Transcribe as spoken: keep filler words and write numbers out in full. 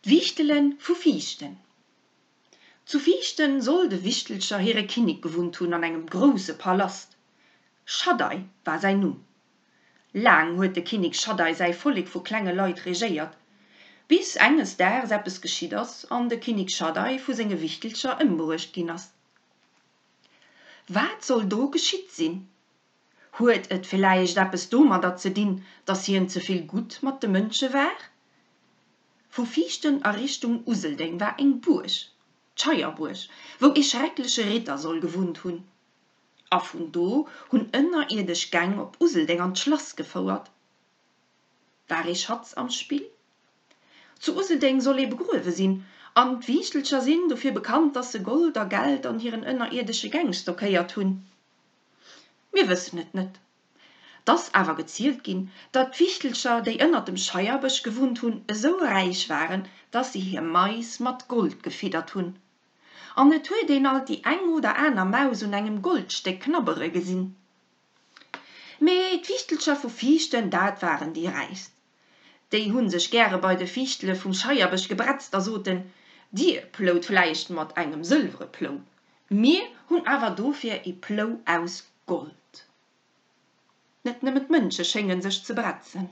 D'Wiichtele vu Viichten Zu Viichten soll de Wichtelcher hire Kinnek gewunnt hunn an engem grousse Palast. Schaddai war säin Numm. Laang huet de Kinnek Schaddai säi Vollek vu klenge Leit regéiert, bis enges Daags eppes geschitt ass an de Kinnek Schaddai vu senge Wichtelcher ëmbruecht ginn ass. Wat soll do geschitt sinn? Huet et villäicht eppes domadder ze dinn, dass hien ze vill gutt mat de Mënsche war? Vu Viichten a Richtung Useldeng war eng Buerg, d'Scheierbuerg, wou ee schreckleche Ritter soll gewunnt hunn. A vun do hunn ënnerierdesch Gäng op Useldeng an d'Schlass gefouert. War ee Schatz am Spill? Zu Useldeng soll ee begruewe sinn, an d'Wiichtelcher sinn dofir bekannt, dass se Gold a Geld an hiren ënnerierdesche Gäng stockéiert hunn. Mir wëssen et net. 't ass awer gezielt ginn, datt d'Wichtelcher, déi ënnert dem Scheierbësch gewunnt hunn, esou räich waren, datt se hir Mais mat Gold gefiddert hunn. An et huet een alt déi eng oder aner Maus un engem Goldstéck knabbere gesinn. Mee d'Wichtelcher vu Viichten, dat waren déi Räichst. Déi hu sech gäre bei de Fiichtele vum Scheierbësch gebretzt a soten, Dir plout vläicht mat engem sëlwere Plou, mir hunn awer dofir ee Plou aus Gold. Net nëmmen d'Mënsche schénge sech ze bretzen.